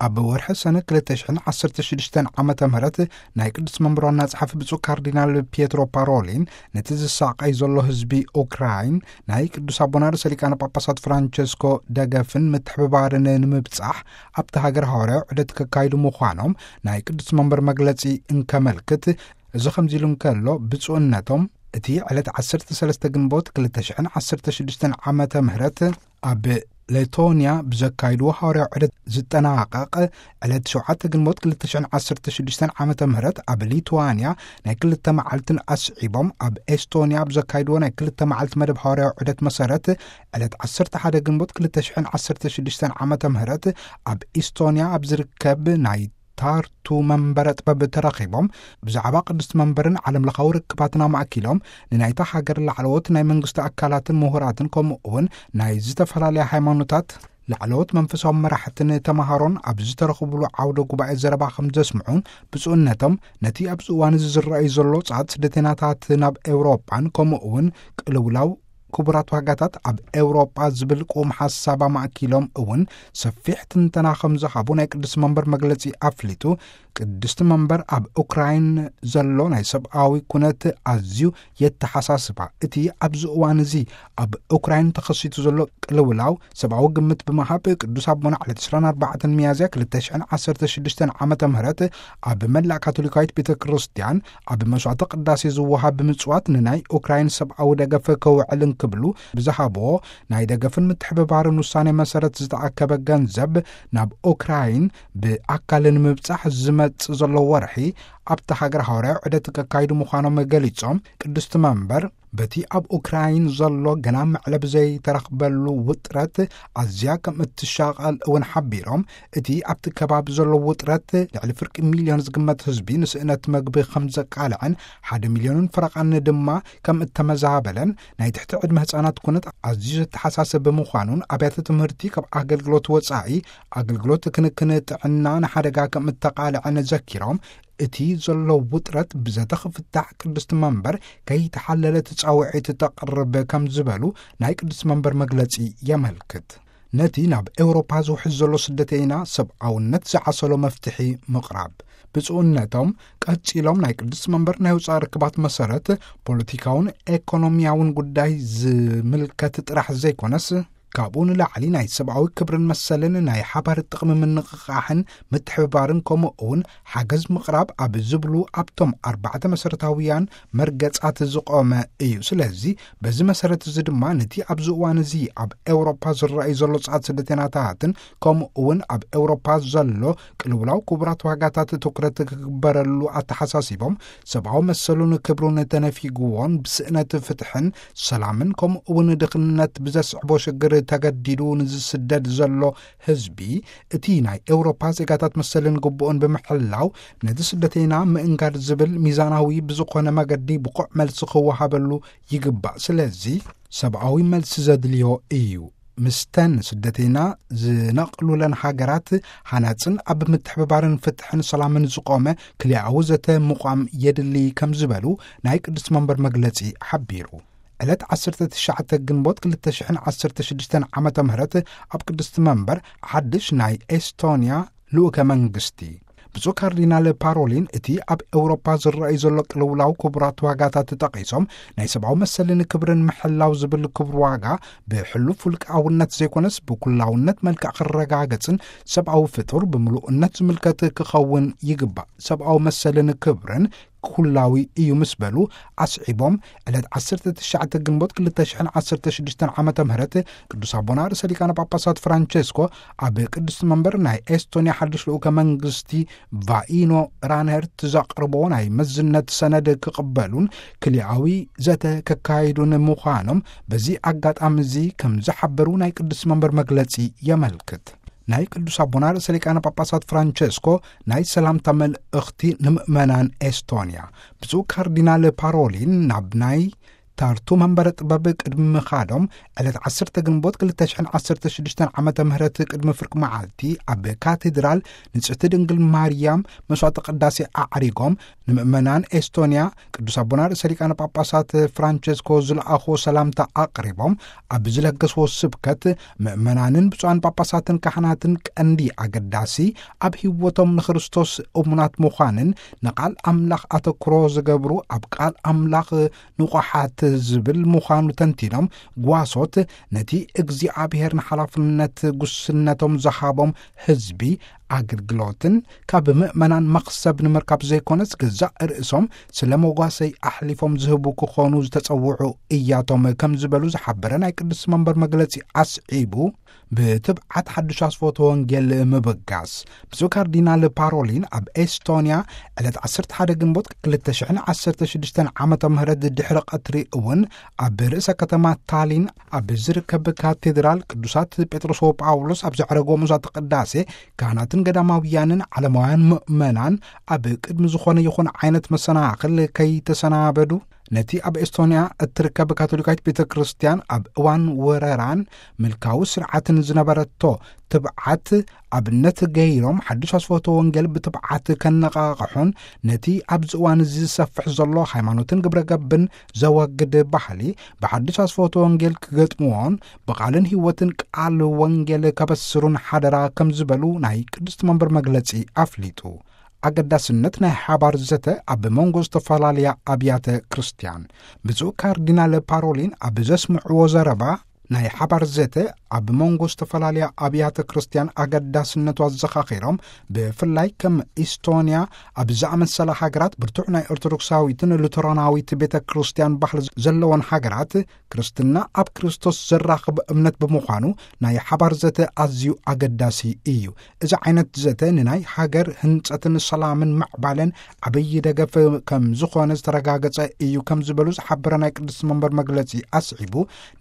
ኣብ ወርሒ ሰነ ክልተ ሽሕን ዓሰርተ ሽዱሽተን ዓመተ ምህረት ናይ ቅዱስ መንበር ዋና ጸሓፊ ብፁዕ ካርዲናል ፒየትሮ ፓሮሊን፣ ነቲ ዝሳቐይ ዘሎ ህዝቢ ኡክራይን ናይ ቅዱስ ኣቦና ርእሰ ሊቃነ ጳጳሳት ፍራንቸስኮ ደገፍን ምትሕብባርን ንምብጻሕ ኣብቲ ሃገር ሃዋርያዊ ዑደት ከካይዱ ምዃኖም ናይ ቅዱስ መንበር መግለጺ እንከመልክት፣ እዚ ከምዚ ኢሉ እንከሎ፣ ብፁዕነቶም እቲ ዕለት ዓሰርተ ሰለስተ ግንቦት ክልተ ሽሕን ዓሰርተ ሽዱሽተን ዓመተ ምህረት ኣብ ሌቶንያ ብዘካይድዎ ሃዋርያዊ ዑደት ዝጠናቐቕ፣ ዕለት ሸውዓተ ግንቦት ክልተ ሽሕን ዓሰርተ ሽዱሽተን ዓመተ ምህረት ኣብ ሊትዋንያ ናይ ክልተ መዓልትን ኣስዒቦም ኣብ ኤስቶንያ ብዘካይድዎ ናይ ክልተ መዓልቲ መደብ ሃዋርያዊ ዑደት መሰረት፣ ዕለት ዓሰርተ ሓደ ግንቦት ክልተ ሽሕን ዓሰርተ ሽዱሽተን ዓመተ ምህረት ኣብ ኢስቶንያ ኣብ ዝርከብ ናይ ታርቱ መንበረ ጥበብ ተረኺቦም ብዛዕባ ቅድስቲ መንበርን ዓለም ለኻዊ ርክባትን ኣማእኪሎም፣ ንናይታ ሃገር ላዕለዎት ናይ መንግስቲ ኣካላትን ምሁራትን፣ ከምኡ እውን ናይ ዝተፈላለያ ሃይማኖታት ላዕለዎት መንፈሳዊ መራሕትን ተምሃሮን ኣብ ዝተረኽብሉ ዓውደ ጉባኤ ዘረባ ከም ዘስምዑን፣ ብፁዕነቶም ነቲ ኣብዚ እዋን እዚ ዝረኣዩ ዘሎ ጻዕት ስደተናታት ናብ ኤውሮጳን፣ ከምኡ እውን ቅልውላው ክቡራት ዋጋታት ኣብ ኤውሮጳ ዝብል ቅዉም ሓሳብ ኣማእኪሎም እውን ሰፊሕ ትንተና ከም ዝሃቡ ናይ ቅዱስ መንበር መግለጺ ኣፍሊጡ። ቅድስቲ መንበር ኣብ ኡክራይን ዘሎ ናይ ሰብኣዊ ኩነት ኣዝዩ የተሓሳስባ። እቲ ኣብዚ እዋን እዚ ኣብ ኡክራይን ተኸሲቱ ዘሎ ቅልውላው ሰብኣዊ ግምት ብምሃብ፣ ቅዱስ ኣቦና ዕለት ዕስራን ኣርባዕተን ሚያዝያ ክልተ ሽሕን ዓሰርተ ሽዱሽተን ዓመተ ምህረት ኣብ መላእ ካቶሊካዊት ቤተ ክርስቲያን ኣብ መስዋዕተ ቅዳሴ ዝወሃብ ብምጽዋት ንናይ ኡክራይን ሰብኣዊ ደገፍ ከውዕል እንክብሉ ብዝሃብዎ ናይ ደገፍን ምትሕብባርን ውሳኔ መሰረት ዝተኣከበ ገንዘብ ናብ ኡክራይን ብኣካል ንምብጻሕ ዝመጽእ ዘሎ ወርሒ ኣብቲ ሃገር ሃዋርያዊ ዑደት ከካይዱ ምዃኖም ገሊጾም፣ ቅድስቲ መንበር በቲ ኣብ ኡክራይን ዘሎ ገና መዕለቢ ዘይተረኽበሉ ውጥረት ኣዝያ ከም እትሻቐል እውን ሓቢሮም፣ እቲ ኣብቲ ከባቢ ዘሎ ውጥረት ልዕሊ ፍርቂ ሚልዮን ዝግመት ህዝቢ ንስእነት መግቢ ከም ዘቃልዐን ሓደ ሚልዮንን ፈረቓን ድማ ከም እተመዛበለን፣ ናይ ትሕቲ ዕድመ ህጻናት ኩነት ኣዝዩ ዘተሓሳስብ ብምዃኑን ኣብያተ ትምህርቲ ካብ ኣገልግሎት ወጻኢ ኣገልግሎት ክንክን ጥዕና ንሓደጋ ከም እተቃልዐን ዘኪሮም፣ እቲ ዘሎ ውጥረት ብዘተ ክፍታሕ ቅድስቲ መንበር ከይተሓለለት ጻውዒት ተቕርብ ከም ዝበሉ ናይ ቅድስቲ መንበር መግለጺ የመልክት። ነቲ ናብ ኤውሮፓ ዝውሕዝ ዘሎ ስደተይና ሰብኣውነት ዝዓሰሎ መፍትሒ ምቕራብ። ብፁዕነቶም ቀጺሎም ናይ ቅድስቲ መንበር ናይ ወጻኢ ርክባት መሰረት ፖለቲካውን ኤኮኖሚያውን ጉዳይ ዝምልከት ጥራሕ ዘይኮነስ፣ ካብኡ ንላዕሊ ናይ ሰብኣዊ ክብርን መሰልን ናይ ሓባር ጥቕሚ ምንቕቓሕን ምትሕብባርን ከምኡ እውን ሓገዝ ምቕራብ ኣብ ዝብሉ ኣብቶም ኣርባዕተ መሰረታውያን መርገጻት ዝቖመ እዩ። ስለዚ በዚ መሰረት እዚ ድማ ነቲ ኣብዚ እዋን እዚ ኣብ ኤውሮፓ ዝረኣዩ ዘሎ ጻዕት ስደተናታትን ከምኡ እውን ኣብ ኤውሮፓ ዘሎ ቅልውላው ክቡራት ዋጋታት ትኩረት ክግበረሉ ኣተሓሳሲቦም፣ ሰብኣዊ መሰሉን ክብሩን ተነፊግዎን ብስእነት ፍትሕን ሰላምን ከምኡ እውን ድኽነት ብዘስዕቦ ሽግር ተገዲዱ ንዝስደድ ዘሎ ህዝቢ፣ እቲ ናይ ኤውሮፓ ዜጋታት መሰልን ግቡእን ብምሕላው፣ ነዚ ስደተይና ምእንጋድ ዝብል ሚዛናዊ ብዝኾነ መገዲ ብቑዕ መልሲ ክወሃበሉ ይግባእ። ስለዚ ሰብኣዊ መልሲ ዘድልዮ እዩ። ምስተን ስደተይና ዝነቕሉለን ሃገራት ሃናጽን ኣብ ምትሕብባርን ፍትሕን ሰላምን ዝቖመ ክልኣዊ ዘተ ምቋም የድሊ ከም ዝበሉ ናይ ቅድስቲ መንበር መግለጺ ሓቢሩ። ዕለት ዓሰርተ ትሽዓተ ግንቦት ክልተ ሽሕን ዓሰርተ ሽዱሽተን ዓመተ ምህረት ኣብ ቅድስቲ መንበር ሓድሽ ናይ ኤስቶንያ ልኡከ መንግስቲ ብፁዕ ካርዲናል ፓሮሊን፣ እቲ ኣብ ኤውሮፓ ዝረኣዩ ዘሎ ቅልውላው ክቡራት ዋጋታት ተጠቒሶም፣ ናይ ሰብኣዊ መሰልን ክብርን ምሕላው ዝብል ክቡር ዋጋ ብሕሉፍ ውልቃውነት ዘይኮነስ ብኩላውነት መልክዕ ክረጋገጽን ሰብኣዊ ፍጡር ብምሉእነት ዝምልከት ክኸውን ይግባእ። ሰብኣዊ መሰልን ክብርን ኩላዊ እዩ ምስ በሉ ኣስዒቦም፣ ዕለት ዓሰርተ ትሽዓተ ግንቦት ክልተ ሽሕን ዓሰርተ ሽዱሽተን ዓመተ ምህረት ቅዱስ ኣቦና ርእሰ ሊቃነ ጳጳሳት ፍራንቸስኮ ኣብ ቅድስቲ መንበር ናይ ኤስቶንያ ሓድሽ ልኡከ መንግስቲ ቫኢኖ ራንሄርት ዘቕርቦ ናይ መዝነት ሰነድ ክቕበሉን ክልኣዊ ዘተ ከካይዱን ምዃኖም በዚ ኣጋጣሚ እዚ ከም ዝሓበሩ ናይ ቅድስቲ መንበር መግለጺ የመልክት። ናይ ቅዱስ ኣቦና ርእሰ ሊቃነ ጳጳሳት ፍራንቸስኮ ናይ ሰላምታ መልእኽቲ ንምእመናን ኤስቶንያ። ብፁዕ ካርዲናል ፓሮሊን ናብ ናይ ታርቱ መንበረ ጥበብ ቅድሚ ምኻዶም፣ ዕለት ዓሰርተ ግንቦት ክልተ ሽሕን ዓሰርተ ሽዱሽተን ዓመተ ምህረት ቅድሚ ፍርቂ መዓልቲ ኣብ ካቴድራል ንጽሕቲ ድንግል ማርያም መስዋዕተ ቅዳሴ ኣዕሪጎም፣ ንምእመናን ኤስቶንያ ቅዱስ ኣቦና ርእሰ ሊቃነ ጳጳሳት ፍራንቸስኮ ዝለኣኽዎ ሰላምታ ኣቕሪቦም፣ ኣብ ዝለገስዎ ስብከት፣ ምእመናንን ብፁዓን ጳጳሳትን ካህናትን ቀንዲ ኣገዳሲ ኣብ ህይወቶም ንክርስቶስ እሙናት ምዃንን ንቃል ኣምላኽ ኣተኩሮ ዝገብሩ፣ ኣብ ቃል ኣምላኽ ንቑሓት ዝብል ምዃኑ ተንቲኖም፣ ጓሶት ነቲ እግዚኣብሔር ንሓላፍነት ጉስነቶም ዝሃቦም ህዝቢ ኣገልግሎትን ካብ ምእመናን መኽሰብ ንምርካብ ዘይኮነስ፣ ገዛእ ርእሶም ስለ መጓሰይ ኣሕሊፎም ዝህቡ ክኾኑ ዝተጸውዑ እያቶም ከም ዝበሉ ዝሓበረ ናይ ቅዱስ መንበር መግለጺ ኣስዒቡ፣ ብትብዓት ሓድሽ ኣስፎቶ ወንጌል ምብጋስ። ብፁዕ ካርዲናል ፓሮሊን ኣብ ኤስቶንያ ዕለት ዓሰርተ ሓደ ግንቦት ክልተ ሽሕን ዓሰርተ ሽዱሽተን ዓመተ ምህረት ድሕሪ ቀትሪ እውን ኣብ ርእሰ ከተማ ታሊን ኣብ ዝርከብ ካቴድራል ቅዱሳት ጴጥሮስ ወጳውሎስ ኣብ ዘዕረጎ መስዋዕተ ቅዳሴ፣ ካህናትን ገዳማውያንን ዓለማውያን ምእመናን ኣብ ቅድሚ ዝኾነ ይኹን ዓይነት መሰናኽል ከይተሰናበዱ፣ ነቲ ኣብ ኤስቶንያ እትርከብ ካቶሊካዊት ቤተ ክርስቲያን ኣብ እዋን ወረራን ምልካዊ ስርዓትን ዝነበረቶ ትብዓት ኣብነት ገይሮም፣ ሓድሽ ኣስፎቶ ወንጌል ብትብዓት ከነቓቕሑን፣ ነቲ ኣብዚ እዋን እዚ ዝሰፍሕ ዘሎ ሃይማኖትን ግብረ ገብን ዘወግድ ባህሊ ብሓድሽ ኣስፎቶ ወንጌል ክገጥምዎን፣ ብቓልን ህይወትን ቃል ወንጌል ከበስሩን ሓደራ ከም ዝበሉ ናይ ቅድስቲ መንበር መግለጺ ኣፍሊጡ። ኣገዳስነት ናይ ሓባር ዘተ ኣብ መንጎ ዝተፈላለያ ኣብያተ ክርስቲያን። ብፁዕ ካርዲናል ፓሮሊን ኣብ ዘስምዕዎ ዘረባ፣ ናይ ሓባር ዘተ ኣብ መንጎ ዝተፈላለያ ኣብያተ ክርስቲያን ኣገዳስነቱ ኣዘኻኺሮም፣ ብፍላይ ከም ኢስቶንያ ኣብ ዝኣመሰላ ሃገራት ብርቱዕ ናይ ኦርቶዶክሳዊትን ሉተራናዊት ቤተ ክርስቲያን ባህሊ ዘለወን ሃገራት፣ ክርስትና ኣብ ክርስቶስ ዘራኽብ እምነት ብምዃኑ፣ ናይ ሓባር ዘተ ኣዝዩ ኣገዳሲ እዩ። እዚ ዓይነት ዘተ ንናይ ሃገር ህንጸትን ሰላምን ምዕባለን ዓብዪ ደገፍ ከም ዝኾነ ዝተረጋገጸ እዩ ከም ዝበሉ ዝሓበረ ናይ ቅድስቲ መንበር መግለጺ ኣስዒቡ፣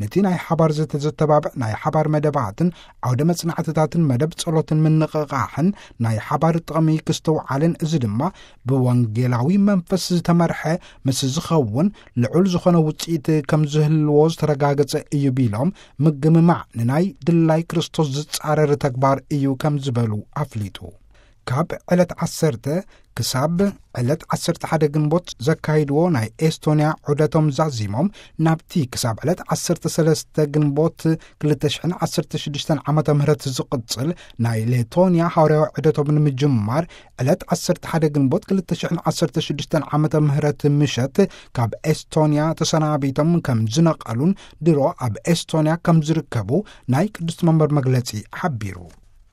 ነቲ ናይ ሓባር ዘተ ዘተባብዕ ናይ ሓባር መደባትን ዓውደ መጽናዕትታትን መደብ ጸሎትን ምንቕቓሕን ናይ ሓባር ጥቕሚ ክስተውዓልን፣ እዚ ድማ ብወንጌላዊ መንፈስ ዝተመርሐ ምስ ዝኸውን ልዑል ዝኾነ ውጽኢት ከም ዝህልዎ ዝተረጋገጸ እዩ ቢሎም፣ ምግምማዕ ንናይ ድላይ ክርስቶስ ዝጻረር ተግባር እዩ ከም ዝበሉ ኣፍሊጡ። ካብ ዕለት ዓሰርተ ክሳብ ዕለት ዓሰርተ ሓደ ግንቦት ዘካይድዎ ናይ ኤስቶንያ ዑደቶም ዛዚሞም፣ ናብቲ ክሳብ ዕለት ዓሰርተ ሰለስተ ግንቦት ክልተ ሽሕን ዓሰርተ ሽዱሽተን ዓመተ ምህረት ዝቕጽል ናይ ሌቶንያ ሃዋርያዊ ዑደቶም ንምጅማር፣ ዕለት ዓሰርተ ሓደ ግንቦት ክልተ ሽሕን ዓሰርተ ሽዱሽተን ዓመተ ምህረት ምሸት ካብ ኤስቶንያ ተሰናቢቶም ከም ዝነቐሉን ድሮ ኣብ ኤስቶንያ ከም ዝርከቡ ናይ ቅድስቲ መንበር መግለጺ ሓቢሩ።